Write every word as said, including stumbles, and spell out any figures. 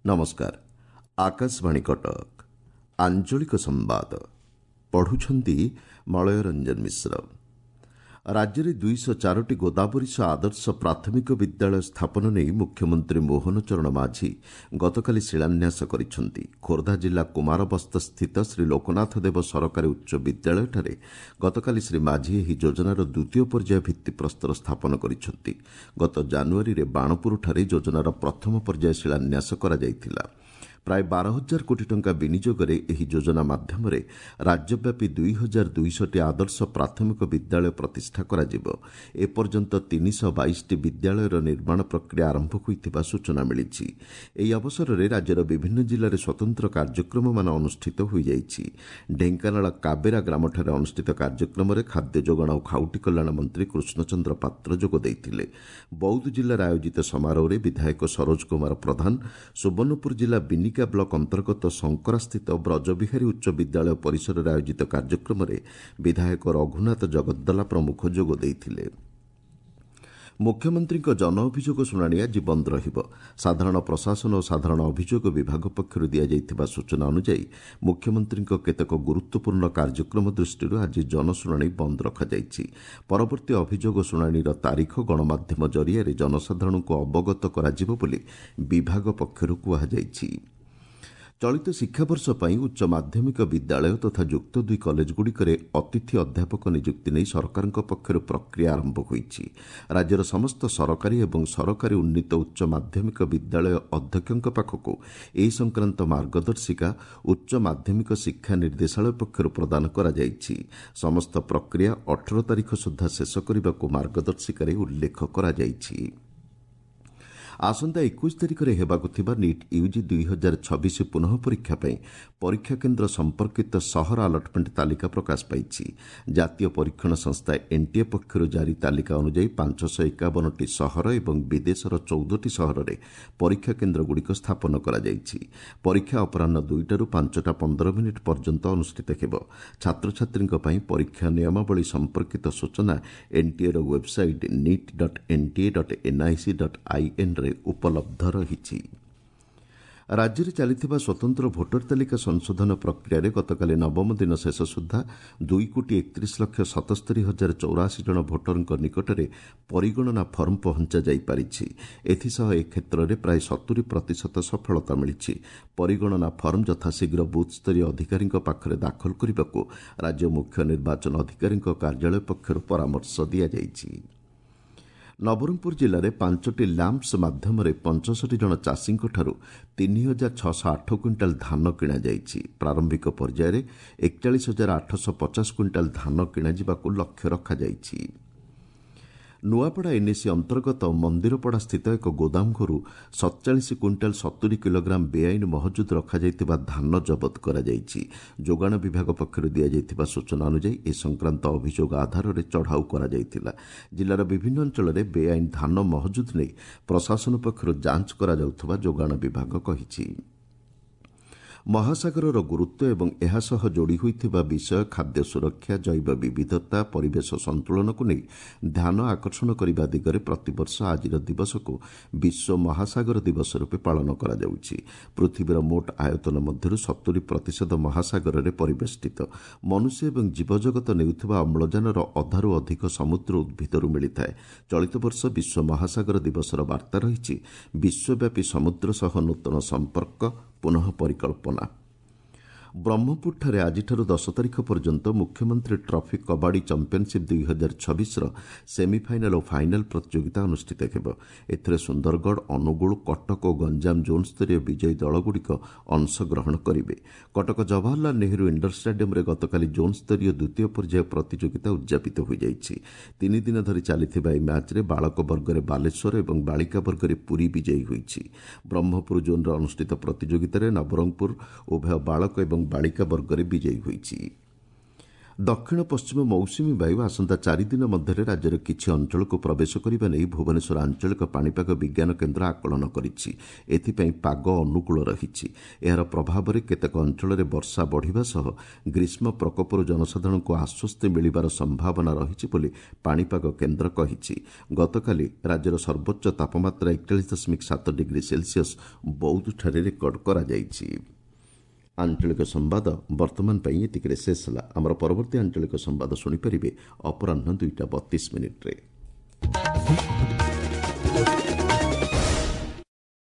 ନମସ୍କାର ଆକାଶବାଣୀ କଟକ ଆଞ୍ଚଳିକ ସମ୍ବାଦ ପଢୁଛନ୍ତି ମଳୟ ରଞ୍ଜନ ମିଶ୍ର ରାଜ୍ୟରେ ଦୁଇଶହ ଚାରୋଟି ଗୋଦାବରୀଶ ଆଦର୍ଶ ପ୍ରାଥମିକ ବିଦ୍ୟାଳୟ ସ୍ଥାପନ ନେଇ ମୁଖ୍ୟମନ୍ତ୍ରୀ ମୋହନ ଚରଣ ମାଝୀ ଗତକାଲି ଶିଳାନ୍ୟାସ କରିଛନ୍ତି ଖୋର୍ଦ୍ଧା ଜିଲ୍ଲା କୁମାରବସ୍ତସ୍ଥିତ ଶ୍ରୀ ଲୋକନାଥ ଦେବ ସରକାରୀ ଉଚ୍ଚ ବିଦ୍ୟାଳୟଠାରେ ଗତକାଲି ଶ୍ରୀ ମାଝୀ ଏହି ଯୋଜନାର ଦ୍ୱିତୀୟ ପର୍ଯ୍ୟାୟ ଭିତ୍ତିପ୍ରସ୍ତର ସ୍ଥାପନ କରିଛନ୍ତି ଗତ ଜାନୁଆରୀରେ ବାଣପୁରଠାରେ ଯୋଜନାର ପ୍ରଥମ ପର୍ଯ୍ୟାୟ ଶିଳାନ୍ୟାସ କରାଯାଇଥିଲା ପ୍ରାୟ ବାର ହଜାର କୋଟି ଟଙ୍କା ବିନିଯୋଗରେ ଏହି ଯୋଜନା ମାଧ୍ୟମରେ ରାଜ୍ୟବ୍ୟାପୀ ଦୁଇ ହଜାର ଦୁଇଶହଟି ଆଦର୍ଶ ପ୍ରାଥମିକ ବିଦ୍ୟାଳୟ ପ୍ରତିଷ୍ଠା କରାଯିବ ଏପର୍ଯ୍ୟନ୍ତ ତିନିଶହ ବାଇଶଟି ବିଦ୍ୟାଳୟର ନିର୍ମାଣ ପ୍ରକ୍ରିୟା ଆରମ୍ଭ ହୋଇଥିବା ସୂଚନା ମିଳିଛି ଏହି ଅବସରରେ ରାଜ୍ୟର ବିଭିନ୍ନ ଜିଲ୍ଲାରେ ସ୍ୱତନ୍ତ୍ର କାର୍ଯ୍ୟକ୍ରମମାନ ଅନୁଷ୍ଠିତ ହୋଇଯାଇଛି ଢେଙ୍କାନାଳ କାବେରା ଗ୍ରାମଠାରେ ଅନୁଷ୍ଠିତ କାର୍ଯ୍ୟକ୍ରମରେ ଖାଦ୍ୟ ଯୋଗାଣ ଓ ଖାଉଟି କଲ୍ୟାଣ ମନ୍ତ୍ରୀ କୃଷ୍ଣଚନ୍ଦ୍ର ପାତ୍ର ଯୋଗ ଦେଇଥିଲେ ବୌଦ୍ଧ ଜିଲ୍ଲାରେ ଆୟୋଜିତ ସମାରୋହରେ ବିଧାୟକ ସରୋଜ କୁମାର ପ୍ରଧାନ ସୁବର୍ଣ୍ଣପୁର ଜିଲ୍ଲା ବିନିକା ବ୍ଲକ ଅନ୍ତର୍ଗତ ଶଙ୍କରାସ୍ଥିତ ବ୍ରଜବିହାରୀ ଉଚ୍ଚ ବିଦ୍ୟାଳୟ ପରିସରରେ ଆୟୋଜିତ କାର୍ଯ୍ୟକ୍ରମରେ ବିଧାୟକ ରଘୁନାଥ ଜଗଦ୍ଦଲା ପ୍ରମୁଖ ଯୋଗ ଦେଇଥିଲେ ମୁଖ୍ୟମନ୍ତ୍ରୀଙ୍କ ଜନ ଅଭିଯୋଗ ଶୁଣାଣି ଆଜି ବନ୍ଦ ରହିବ ସାଧାରଣ ପ୍ରଶାସନ ଓ ସାଧାରଣ ଅଭିଯୋଗ ବିଭାଗ ପକ୍ଷରୁ ଦିଆଯାଇଥିବା ସୂଚନା ଅନୁଯାୟୀ ମୁଖ୍ୟମନ୍ତ୍ରୀଙ୍କ କେତେକ ଗୁରୁତ୍ୱପୂର୍ଣ୍ଣ କାର୍ଯ୍ୟକ୍ରମ ଦୃଷ୍ଟିରୁ ଆଜି ଜନଶୁଣାଣି ବନ୍ଦ ରଖାଯାଇଛି ପରବର୍ତ୍ତୀ ଅଭିଯୋଗ ଶୁଣାଣିର ତାରିଖ ଗଣମାଧ୍ୟମ ଜରିଆରେ ଜନସାଧାରଣଙ୍କୁ ଅବଗତ କରାଯିବ ବୋଲି ବିଭାଗ ପକ୍ଷରୁ କୁହାଯାଇଛି ଚଳିତ ଶିକ୍ଷାବର୍ଷ ପାଇଁ ଉଚ୍ଚ ମାଧ୍ୟମିକ ବିଦ୍ୟାଳୟ ତଥା ଯୁକ୍ତ ଦୁଇ କଲେଜଗୁଡ଼ିକରେ ଅତିଥି ଅଧ୍ୟାପକ ନିଯୁକ୍ତି ନେଇ ସରକାରଙ୍କ ପକ୍ଷରୁ ପ୍ରକ୍ରିୟା ଆରମ୍ଭ ହୋଇଛି ରାଜ୍ୟର ସମସ୍ତ ସରକାରୀ ଏବଂ ସରକାରୀ ଉନ୍ନୀତ ଉଚ୍ଚ ମାଧ୍ୟମିକ ବିଦ୍ୟାଳୟ ଅଧ୍ୟକ୍ଷଙ୍କ ପାଖକୁ ଏ ସଂକ୍ରାନ୍ତ ମାର୍ଗଦର୍ଶିକା ଉଚ୍ଚ ମାଧ୍ୟମିକ ଶିକ୍ଷା ନିର୍ଦ୍ଦେଶାଳୟ ପକ୍ଷରୁ ପ୍ରଦାନ କରାଯାଇଛି ସମସ୍ତ ପ୍ରକ୍ରିୟା ଅଠର ତାରିଖ ସୁଦ୍ଧା ଶେଷ କରିବାକୁ ମାର୍ଗଦର୍ଶିକାରେ ଉଲ୍ଲେଖ କରାଯାଇଛି ଆସନ୍ତା ଏକୋଇଶ ତାରିଖରେ ହେବାକୁ ଥିବା ନିଟ୍ ୟୁଜି ଦୁଇ ହଜାର ଛବିଶ ପୁନଃ ପରୀକ୍ଷା ପାଇଁ ପରୀକ୍ଷା କେନ୍ଦ୍ର ସମ୍ପର୍କିତ ସହର ଆଲଟମେଣ୍ଟ ତାଲିକା ପ୍ରକାଶ ପାଇଛି ଜାତୀୟ ପରୀକ୍ଷଣ ସଂସ୍ଥା ଏନ୍ଟିଏ ପକ୍ଷରୁ ଜାରି ତାଲିକା ଅନୁଯାୟୀ ପାଞ୍ଚଶହ ଏକାବନଟି ସହର ଏବଂ ବିଦେଶର ଚଉଦଟି ସହରରେ ପରୀକ୍ଷା କେନ୍ଦ୍ରଗୁଡ଼ିକ ସ୍ଥାପନ କରାଯାଇଛି ପରୀକ୍ଷା ଅପରାହ୍ନ ଦୁଇଟାରୁ ପାଞ୍ଚଟା ପନ୍ଦର ମିନିଟ୍ ପର୍ଯ୍ୟନ୍ତ ଅନୁଷ୍ଠିତ ହେବ ଛାତ୍ରଛାତ୍ରୀଙ୍କ ପାଇଁ ପରୀକ୍ଷା ନିୟମାବଳୀ ସମ୍ପର୍କିତ ସୂଚନା ଏନ୍ଟିଏର website NEET dot NTA dot NIC dot ଆଇଏନ୍ରେ ଉପଲବ୍ଧ ରହିଛି ରାଜ୍ୟରେ ଚାଲିଥିବା ସ୍ୱତନ୍ତ୍ର ଭୋଟର ତାଲିକା ସଂଶୋଧନ ପ୍ରକ୍ରିୟାରେ ଗତକାଲି ନବମ ଦିନ ଶେଷ ସୁଦ୍ଧା ଦୁଇ କୋଟି ଏକତିରିଶ ଲକ୍ଷ ସତସ୍ତରୀ ହଜାର ଚଉରାଅଶୀ ଜଣ ଭୋଟରଙ୍କ ନିକଟରେ ପରିଗଣନା ଫର୍ମ ପହଞ୍ଚା ଯାଇପାରିଛି ଏଥିସହ ଏ କ୍ଷେତ୍ରରେ ପ୍ରାୟ ସତୁରି ପ୍ରତିଶତ ସଫଳତା ମିଳିଛି ପରିଗଣନା ଫର୍ମ ଯଥାଶୀଘ୍ର ବୁଥ୍ସ୍ତରୀୟ ଅଧିକାରୀଙ୍କ ପାଖରେ ଦାଖଲ କରିବାକୁ ରାଜ୍ୟ ମୁଖ୍ୟ ନିର୍ବାଚନ ଅଧିକାରୀଙ୍କ କାର୍ଯ୍ୟାଳୟ ପକ୍ଷରୁ ପରାମର୍ଶ ଦିଆଯାଇଛି ନବରଙ୍ଗପୁର ଜିଲ୍ଲାରେ ପାଞ୍ଚଟି ଲ୍ୟାମ୍ପସ୍ ମାଧ୍ୟମରେ ପଞ୍ଚଷଠି ଜଣ ଚାଷୀଙ୍କଠାରୁ ତିନି ହଜାର ଛଅଶହ ଆଠ କୁଇଣ୍ଟାଲ ଧାନ କିଣାଯାଇଛି ପ୍ରାରମ୍ଭିକ ପର୍ଯ୍ୟାୟରେ ଏକଚାଳିଶ ହଜାର ଆଠଶହ ପଚାଶ କୁଇଣ୍ଟାଲ ଧାନ କିଣାଯିବାକୁ ଲକ୍ଷ୍ୟ ରଖାଯାଇଛି ନୂଆପଡ଼ା ଏନ୍ଏସି ଅନ୍ତର୍ଗତ ମନ୍ଦିରପଡ଼ା ସ୍ଥିତ ଏକ ଗୋଦାମ ଘରୁ ସତଚାଳିଶ କୁଇଣ୍ଟାଲ ସତୁରି କିଲୋଗ୍ରାମ ବେଆଇନ ମହଜୁଦ ରଖାଯାଇଥିବା ଧାନ ଜବତ କରାଯାଇଛି ଯୋଗାଣ ବିଭାଗ ପକ୍ଷରୁ ଦିଆଯାଇଥିବା ସୂଚନା ଅନୁଯାୟୀ ଏ ସଂକ୍ରାନ୍ତ ଅଭିଯୋଗ ଆଧାରରେ ଚଢ଼ାଉ କରାଯାଇଥିଲା ଜିଲ୍ଲାର ବିଭିନ୍ନ ଅଞ୍ଚଳରେ ବେଆଇନ ଧାନ ମହଜୁଦ ନେଇ ପ୍ରଶାସନ ପକ୍ଷରୁ ଯାଞ୍ଚ କରାଯାଉଥିବା ଯୋଗାଣ ବିଭାଗ କହିଛି ମହାସାଗରର ଗୁରୁତ୍ୱ ଏବଂ ଏହା ସହ ଯୋଡ଼ି ହୋଇଥିବା ବିଷୟ ଖାଦ୍ୟ ସୁରକ୍ଷା ଜୈବ ବିବିଧତା ପରିବେଶ ସନ୍ତୁଳନକୁ ନେଇ ଧ୍ୟାନ ଆକର୍ଷଣ କରିବା ଦିଗରେ ପ୍ରତିବର୍ଷ ଆଜିର ଦିବସକୁ ବିଶ୍ୱ ମହାସାଗର ଦିବସ ରୂପେ ପାଳନ କରାଯାଉଛି ପୃଥିବୀର ମୋଟ ଆୟତନ ମଧ୍ୟରୁ ସତୁରି ପ୍ରତିଶତ ମହାସାଗରରେ ପରିବେଷ୍ଟିତ ମନୁଷ୍ୟ ଏବଂ ଜୀବଜଗତ ନେଉଥିବା ଅମ୍ଳଜାନର ଅଧାରୁ ଅଧିକ ସମୁଦ୍ର ଉଦ୍ଭିଦରୁ ମିଳିଥାଏ ଚଳିତ ବର୍ଷ ବିଶ୍ୱ ମହାସାଗର ଦିବସର ବାର୍ତ୍ତା ରହିଛି ବିଶ୍ୱବ୍ୟାପୀ ସମୁଦ୍ର ସହ ନୂତନ ସମ୍ପର୍କ ପୁନଃ ପରିକଳ୍ପନା ବ୍ରହ୍ମପୁରଠାରେ ଆଜିଠାରୁ ଦଶ ତାରିଖ ପର୍ଯ୍ୟନ୍ତ ମୁଖ୍ୟମନ୍ତ୍ରୀ ଟ୍ରଫି କବାଡ଼ି ଚାମ୍ପିୟନସିପ୍ ଦୁଇ ହଜାର ଛବିଶର ସେମିଫାଇନାଲ୍ ଓ ଫାଇନାଲ୍ ପ୍ରତିଯୋଗିତା ଅନୁଷ୍ଠିତ ହେବ ଏଥିରେ ସୁନ୍ଦରଗଡ଼ ଅନୁଗୁଳ କଟକ ଓ ଗଞ୍ଜାମ ଜୋନ୍ସ୍ତରୀୟ ବିଜୟୀ ଦଳଗୁଡ଼ିକ ଅଂଶଗ୍ରହଣ କରିବେ କଟକ ଜବାହରଲାଲ ନେହେରୁ ଇଣ୍ଡୋର ଷ୍ଟାଡିୟମ୍ରେ ଗତକାଲି ଜୋନ୍ସ୍ତରୀୟ ଦ୍ୱିତୀୟ ପର୍ଯ୍ୟାୟ ପ୍ରତିଯୋଗିତା ଉଦ୍ଯାପିତ ହୋଇଯାଇଛି ତିନି ଦିନ ଧରି ଚାଲିଥିବା ଏହି ମ୍ୟାଚ୍ରେ ବାଳକ ବର୍ଗରେ ବାଲେଶ୍ୱର ଏବଂ ବାଳିକା ବର୍ଗରେ ପୁରୀ ବିଜୟୀ ହୋଇଛି ବ୍ରହ୍ମପୁର ଜୋନ୍ରେ ଅନୁଷ୍ଠିତ ପ୍ରତିଯୋଗିତାରେ ନବରଙ୍ଗପୁର ଉଭୟ ବାଳକ ଏବଂ ବାଳିକା ବର୍ଗରେ ବିଜୟୀ ହୋଇଛି ଦକ୍ଷିଣ ପଶ୍ଚିମ ମୌସୁମୀ ବାୟୁ ଆସନ୍ତା ଚାରିଦିନ ମଧ୍ୟରେ ରାଜ୍ୟର କିଛି ଅଞ୍ଚଳକୁ ପ୍ରବେଶ କରିବା ନେଇ ଭୁବନେଶ୍ୱର ଆଞ୍ଚଳିକ ପାଣିପାଗ ବିଜ୍ଞାନ କେନ୍ଦ୍ର ଆକଳନ କରିଛି। ଏଥିପାଇଁ ପାଗ ଅନୁକୂଳ ରହିଛି। ଏହାର ପ୍ରଭାବରେ କେତେକ ଅଞ୍ଚଳରେ ବର୍ଷା ବଢ଼ିବା ସହ ଗ୍ରୀଷ୍ମ ପ୍ରକୋପରୁ ଜନସାଧାରଣଙ୍କୁ ଆଶ୍ୱସ୍ତି ମିଳିବାର ସମ୍ଭାବନା ରହିଛି ବୋଲି ପାଣିପାଗ କେନ୍ଦ୍ର କହିଛି। ଗତକାଲି ରାଜ୍ୟର ସର୍ବୋଚ୍ଚ ତାପମାତ୍ରା ଏକଚାଳିଶ ଦଶମିକ ସାତ ଡିଗ୍ରୀ ସେଲସିୟସ୍ ବୌଦ୍ଧଠାରେ ରେକର୍ଡ କରାଯାଇଛି। ଆଞ୍ଚଳିକ ସମ୍ବାଦ ବର୍ତ୍ତମାନ ପାଇଁ ଏତିକିରେ ଶେଷ ହେଲା। ଆମର ପରବର୍ତ୍ତୀ ଆଞ୍ଚଳିକ ସମ୍ବାଦ ଶୁଣିପାରିବେ ଅପରାହ୍ନ ଦୁଇଟା ବତିଶ ମିନିଟ୍ରେ।